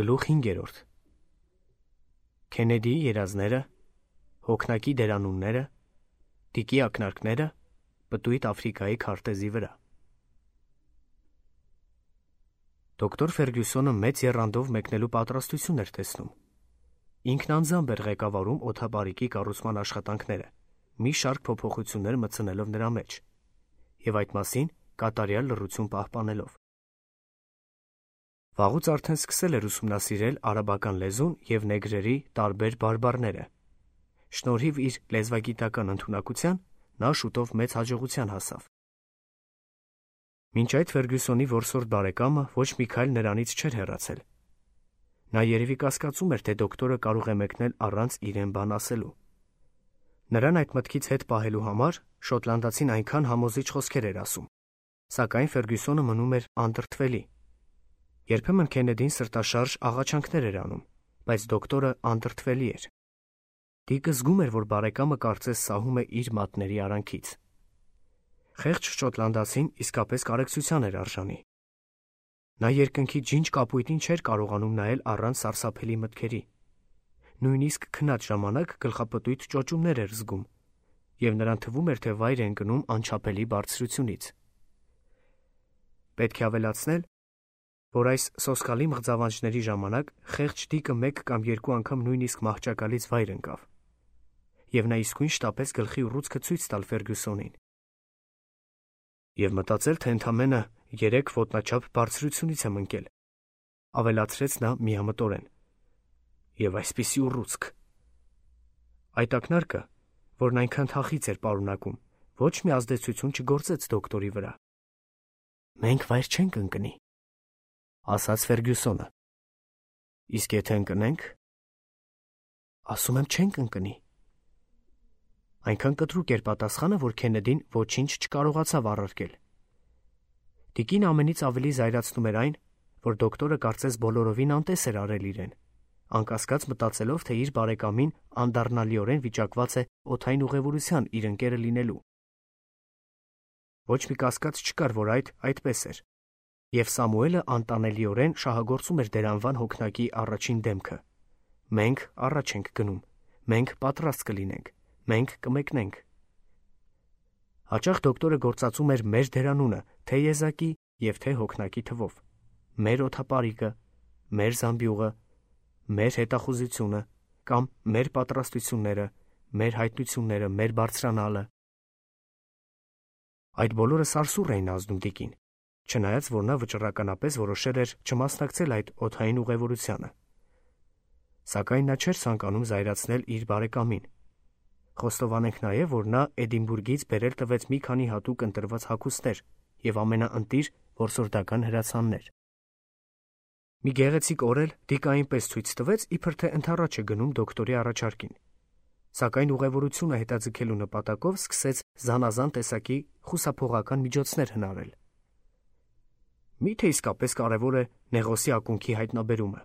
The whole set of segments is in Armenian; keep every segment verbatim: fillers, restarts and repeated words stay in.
Գլուխ հինգերորդ Քենեդիի երազները, հոգնակի դերանունները, տիկի ակնարկները, պտույտ Աֆրիկայի քարտեզի վրա։ Դոկտոր Ֆերգյուսոնը մեծ եռանդով մեկնելու պատրաստություն էր տեսնում։ Ինքն անձամբ էր ղեկավարում օդապարիկի կառուցման աշխատանքները, մի շարք փոփոխություններ մտցնելով նրա մեջ, եւ այդ մասին կատարյալ լռություն պահպանելով։ Վաղուց արդեն սկսել էր ուսումնասիրել արաբական լեզուն և նեգրերի տարբեր բարբառները։ Շնորհիվ իր լեզվագիտական ընդունակության նա շուտով մեծ հաջողության հասավ։ Մինչ այդ Ֆերգյուսոնի որսորդ բարեկամը ոչ մի քայլ նրանից չէր հեռացել։ Նա երևի կասկածում էր, թե դոկտորը կարող է մեկնել առանց իրեն բան ասելու։ Նրան այդ մտքից հետ պահելու համար շոտլանդացին այնքան համոզիչ խոսքեր էր ասում, սակայն Ֆերգյուսոնը մնում էր անդրդվելի։ Երբեմն Քենեդին սրտաշարժ աղաչանքներ էր անում, բայց դոկտորը անդրդվելի էր։ Դիկը զգում էր, որ բարեկամը կարծես սահում է իր մատների արանքից։ Խեղճ շոտլանդացին իսկապես կարեկցության էր արժանի։ Նա երկնքի ջինջ կապույտին չէր կարողանում նայել առանց սարսափելի մտքերի։ Նույնիսկ քնած ժամանակ գլխապտույտ ճոճումներ էր զգում, և նրան թվում էր, թե վայր է ընկնում անչափելի բարձրությունից։ Պետք է ավելացնել, որ այս սոսկալի մղձավանջների ժամանակ խեղճ Դիկը մեկ կամ երկու անգամ նույնիսկ մահճակալից վայր ընկավ, և նա իսկույն շտապեց գլխի ուռուցքը ցույց տալ Ֆերգյուսոնին և մտածել, թե ընդամենը երեք ոտնաչափ բարձրությունից եմ ընկել, ավելացրեց նա միամտորեն, և այսպիսի ուռուցք։ Այդ ակնարկը, որն այնքան թախիծ էր պարունակում, ոչ մի ազդեցություն չգործեց դոկտորի վրա։ «Մենք վայր չենք ընկնի», ասաց Ֆերգյուսոնը։ «Իսկ եթե ընկնենք»։ «Ասում եմ, չենք ընկնի»։ Այնքան կտրուկ էր պատասխանը, որ Քենեդին ոչինչ չկարողացավ առարկել։ Տիկին ամենից ավելի զայրացնում էր այն, որ դոկտորը կարծես բոլորովին անտես էր արել իրեն, անկասկած մտածելով, թե իր բարեկամին անդառնալիորեն վիճակված է օդային ուղևորության իր ընկերը լինելու։ Ոչ մի կասկած չկար, որ այդ այդպես էր, և Սամուելը անտանելիորեն շահագործում էր դեր անվան հոգնակի առաջին դեմքը։ «Մենք առաջ ենք գնում, մենք պատրաստ կլինենք, մենք կմեկնենք»։ Հաճախ դոկտորը գործածում էր մեր դերանունը թե եզակի և թե հոգնակի թվով. մեր օդապարիկը, մեր զամբյուղը, մեր հետախուզությունը կամ մեր պատրաստությունները, մեր հայտնությունները, մեր բարձրանալը։ Այդ բոլորը սարսուռ էին ազդում Դիկին, չնայած որ նա վճռականապես որոշել էր չմասնակցել այդ օդային ուղևորությանը։ Սակայն նա չէր ցանկանում զայրացնել իր բարեկամին։ Խոստովանենք նաև, որ նա Էդինբուրգից բերել տվեց մի քանի հատուկ ընտրված հագուստներ և ամենաընտիր որսորդական հրացաններ։ Մի գեղեցիկ օր էլ Դիկը այնպես ցույց տվեց, իբր թե ընդառաջ է գնում դոկտորի առաջարկին, սակայն ուղևորությունը հետաձգելու նպատակով սկսեց զանազան տեսակի խուսափողական միջոցներ հնարել։ Մի՞թե իսկապես կարևոր է Նեղոսի ակունքի հայտնաբերումը։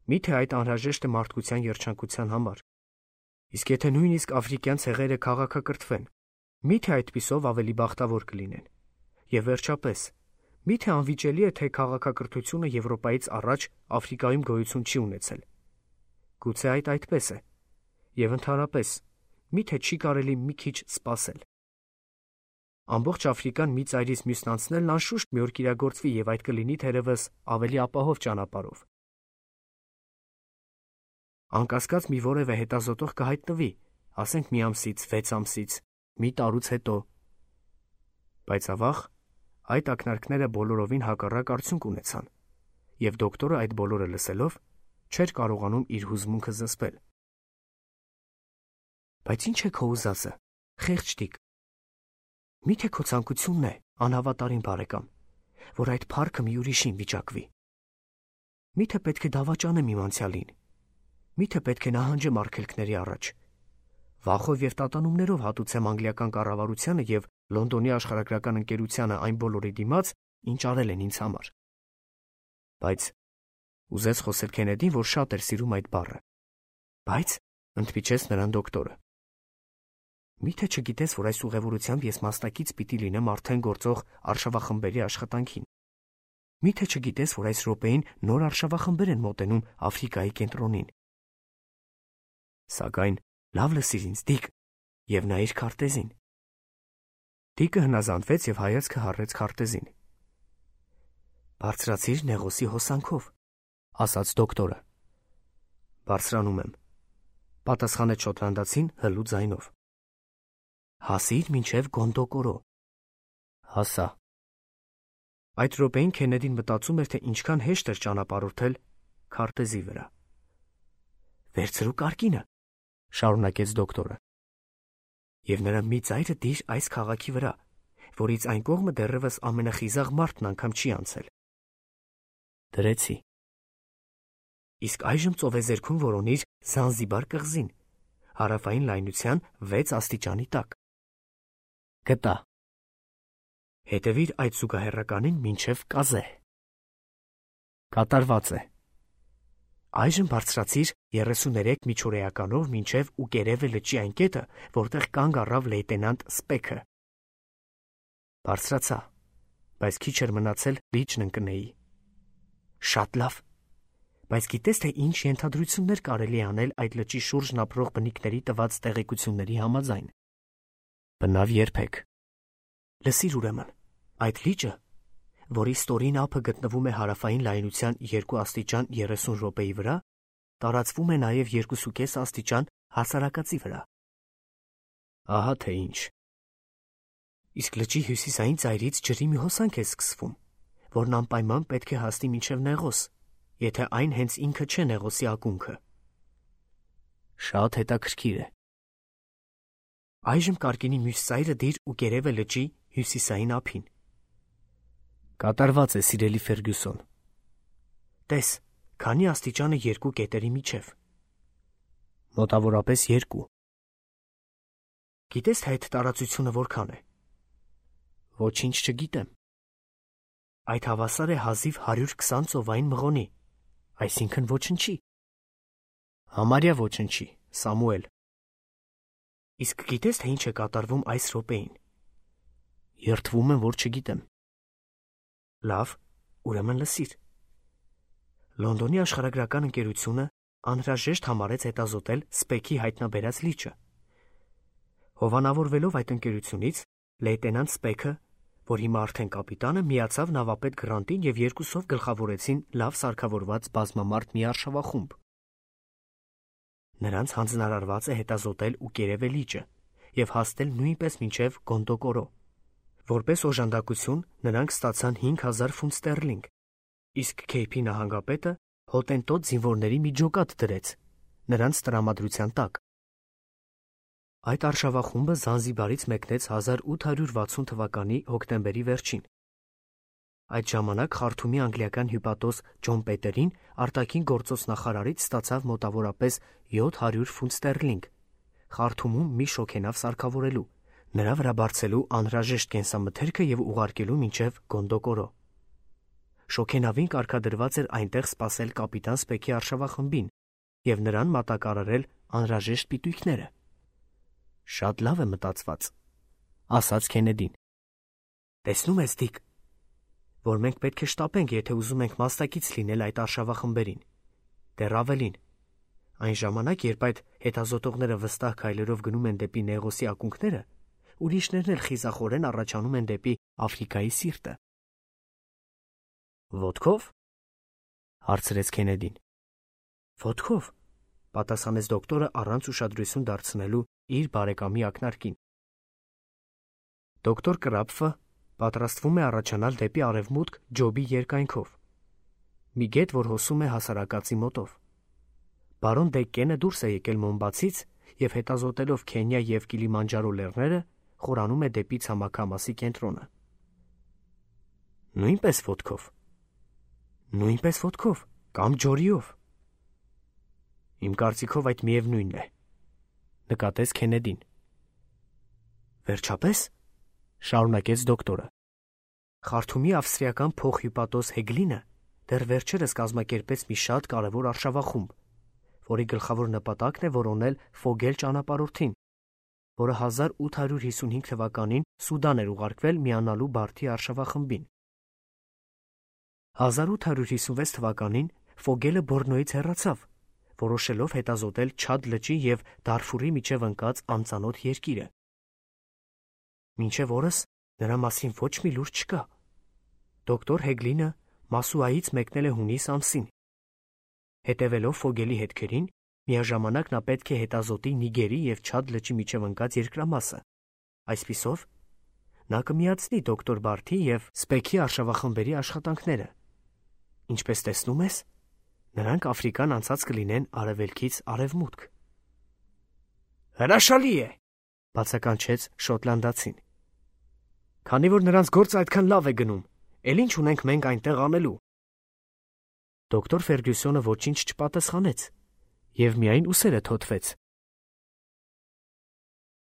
Մի՞թե այդ անհրաժեշտ է մարդկության երջանկության համար։ Իսկ եթե նույնիսկ աֆրիկյան ցեղերը քաղաքակրթվեն, մի՞թե այդպիսով ավելի բախտավոր կլինեն։ Եվ վերջապես, մի՞թե անվիճելի է, թե քաղաքակրթությունը Եվրոպայից առաջ Աֆրիկայում գոյություն չի ունեցել։ Գուցե այդ այդպես է։ Եվ ընդհանրապես, մի՞թե չի կարելի մի քիչ սպասել։ Ամբողջ Աֆրիկան մի ծայրից մյուսն անցնելն անշուշտ մի օր կիրագործվի, և այդ կլինի թերևս ավելի ապահով ճանապարհով։ Անկասկած մի որևէ հետազոտող կհայտնվի, ասենք մի ամսից, վեց ամսից, մի տարուց հետո։ Բայց ավաղ, այդ ակնարկները բոլորովին հակառակ արդյունք ունեցան, և դոկտորը այդ բոլորը լսելով չէր կարողանում իր հուզմունքը զսպել։ Բայց ի՞նչ է քո ուզածը, խեղճ Դիկ։ Մի՞թե քո ցանկությունն է, անհավատարիմ բարեկամ, որ այդ փառքը մի ուրիշին վիճակվի։ Մի՞թե պետք է դավաճանեմ իմ անցյալին։ Մի՞թե պետք է նահանջեմ արգելքների առաջ, վախով և տատանումներով հատուցեմ անգլիական կառավարությանը և Լոնդոնի աշխարհագրական ընկերությանը այն բոլորի դիմաց, ինչ արել են ինձ համար։ Բայց ուզեց խոսել Քենեդին, որ շատ էր սիրում այդ բառը։ Բայց ընդմիջեց նրան դոկտորը։ Մի՞թե չգիտես, որ այս ուղևորությամբ ես մասնակից պիտի լինեմ արդեն գործող արշավախմբերի աշխատանքին։ Միթե չգիտես, որ այս րոպեին նոր արշավախմբեր են մոտենում Աֆրիկայի կենտրոնին։ Սակայն լավ լսիր ինձ, Դիկ, եւ նայիր քարտեզին։ Դիկը հնազանդվեց եւ հայացքը հառեց քարտեզին։ Բարձրացիր նեղոսի հոսանքով, ասաց դոկտորը։ Բարձրանում եմ, պատասխանեց շոտլանդացին հլու ձայնով։ Հասիր մինչև Գոնդոկորո։ Հասա։ Այդ րոպեին Քենեդին մտածում էր, թե ինչքան հեշտ էր ճանապարհորդել քարտեզի վրա։ Վերցրու կարկինը, շարունակեց դոկտորը։ Եվ նրա մի ծայրը դիր այս քաղաքի վրա, որից այն կողմը դեռևս ամենախիզախ մարդն անգամ չի անցել։ Դրեցի։ Իսկ այժմ ծովեզերքում որոնիր Զանզիբար կղզին, հարավային լայնության վեց աստիճանի տակ։ Գտա։ Հետևիր այդ զուգահեռականին մինչև Կազե։ Կատարված է։ Այժմ բարձրացիր երեսուներեք միջօրեականով մինչև Ուկերևե լճի այն կետը, որտեղ կանգ առավ լեյտենանտ Սպեքը։ Բարձրացա, բայց քիչ էր մնացել լիճն ընկնեի։ Շատ լավ։ Բայց գիտես, թե ինչ ենթադրություններ կարելի անել այդ լճի շուրջն ապրող բնիկների տված տեղեկությունների համաձայն։ Բնավ երբեք։ Լսիր ուրեմն, այդ լիճը, որի ստորին ափը գտնվում է հարավային լայնության երկու աստիճան երեսուն րոպեի վրա, տարածվում է նաև երկուսուկես աստիճան հասարակածի վրա։ Ահա թե ինչ։ Իսկ լճի հյուսիսային ծայրից ջրի մի հոսանք է սկսվում, որն անպայման պետք է հասնի մինչև Նեղոս, եթե այն հենց ինքը չէ Նեղոսի ակունքը։ Շատ հետաքրքիր է։ Այժմ կարկինի մյուս ծայրը դիր Ուկերևե լճի հյուսիսային ափին։ Կատարված է, սիրելի Ֆերգյուսոն։ Տես, քանի աստիճանը երկու կետերի միջև։ Մոտավորապես երկու։ Գիտես, թե այդ տարածությունը որքան է։ Ոչինչ չգիտեմ։ Այդ հավասար է հազիվ հարյուր քսան ծովային մղոնի, այսինքն ոչնչի։ Համարյա ոչնչի, Սամուել։ Իսկ գիտես, թե ինչ է կատարվում այս րոպեին։ Երդվում եմ, որ չգիտեմ։ Լավ, ուրեմն լսիր։ Լոնդոնի աշխարհագրական ընկերությունը անհրաժեշտ համարեց հետազոտել Սպեքի հայտնաբերած լիճը։ Հովանավորվելով այդ ընկերությունից, լեյտենանտ Սպեքը, որ հիմա արդեն կապիտան է, միացավ նավապետ Գրանտին եւ երկուսով գլխավորեցին լավ սարքավորված բազմամարդ մի արշավախումբ։ Նրանց հանձնարարված է հետազոտել Ուկերևե լիճը եւ հասնել նույնպես մինչև Գոնդոկորո։ Որպես օժանդակություն նրանք ստացան հինգ հազար ֆունտ ստերլինգ, իսկ Քեյփի նահանգապետը հոտենտոտ զինվորների մի ջոկատ դրեց նրանց տրամադրության տակ։ Այդ արշավախումբը Զանզիբարից մեկնեց հազար ութ հարյուր վաթսուն թվականի հոկտեմբերի վերջին։ Այդ ժամանակ Խարթումի անգլիական հյուպատոս Ջոն Պետերին արտաքին գործոց նախարարից ստացավ մոտավորապես յոթ հարյուր ֆունտ ստերլինգ Խարթումում մի շոգենավ սարքավորելու, նրա վրա բարձելու անհրաժեշտ կենսամթերքը եւ ուղարկելու մինչև Գոնդոկորո։ Շոգենավին կարգադրված էր այնտեղ սպասել կապիտան Սպեքի արշավախմբին եւ նրան մատակարարել անհրաժեշտ պիտույքները։ Շատ լավ է մտածված, ասաց Քենեդին։ Տեսնում ես, Դիկ, որ մենք պետք է շտապենք, եթե ուզում ենք մասնակից լինել այդ արշավախմբերին։ Դեռ ավելին, այն ժամանակ, երբ այդ հետազոտողները վստահ քայլերով գնում են դեպի Նեղոսի ակունքները, ուրիշներն էլ խիզախորեն առաջանում են դեպի Աֆրիկայի սիրտը։ Ոտքով, հարցրեց Քենեդին։ Ոտքով, պատասխանեց դոկտորը առանց ուշադրություն դարձնելու իր բարեկամի ակնարկին։ Դոկտոր Կրապֆը պատրաստվում է առաջանալ դեպի արևմուտք Ջոբի երկայնքով, մի գետ, որ հոսում է հասարակածի մոտով։ Բարոն Դեկկենը դուրս է եկել Մոմբացից եւ հետազոտելով Քենիա եւ Կիլիմանջարո լեռները, խորանում է դեպի ցամաքամասի կենտրոնը։ Նույնպես ոտքով։ Նույնպես ոտքով կամ ջորիով։ Իմ կարծիքով այդ միևնույնն է, նկատեց Քենեդին։ Վերջապես, շարունակեց դոկտորը, Խարթումի ավստրիական փոխհյուպատոս Հեգլինը դեռ վերջերս կազմակերպեց մի շատ կարևոր արշավախումբ, որի գլխավոր նպատակն է որոնել Ֆոգել ճանապարհորդին, որը հազար ութ հարյուր հիսունհինգ թվականին Սուդան էր ուղարկվել միանալու Բարթի արշավախմբին։ հազար ութ հարյուր հիսունվեց թվականին Ֆոգելը Բորնոյից հեռացավ, որոշելով հետազոտել Չադ լճի և Դարֆուրի միջև ընկած անծանոթ երկիրը։ Մինչև օրս նրա մասին ոչ մի լուր չկա։ Դոկտոր Հեգլինը Մասուայից մեկնել է հունիս ամսին։ Հետևելով Ֆոգելի հետքերին, միաժամանակ նա պետք է հետազոտի Նիգերի և Չադ լճի միջև ընկած երկրամասը։ Այսպիսով, նա կմիացնի դոկտոր Բարթի և Սպեքի արշավախմբերի աշխատանքները։ Ինչպես տեսնում ես, նրանք Աֆրիկան անցած կլինեն արևելքից արևմուտք։ Հրաշալի է, բացականչեց շոտլանդացին։ Քանի որ նրանց գործը այդքան լավ է գնում, էլ ինչ ունենք մենք այնտեղ անելու։ Դոկտոր Ֆերգյուսոնը ոչինչ չպատասխանեց և միայն ուսերը թոթվեց,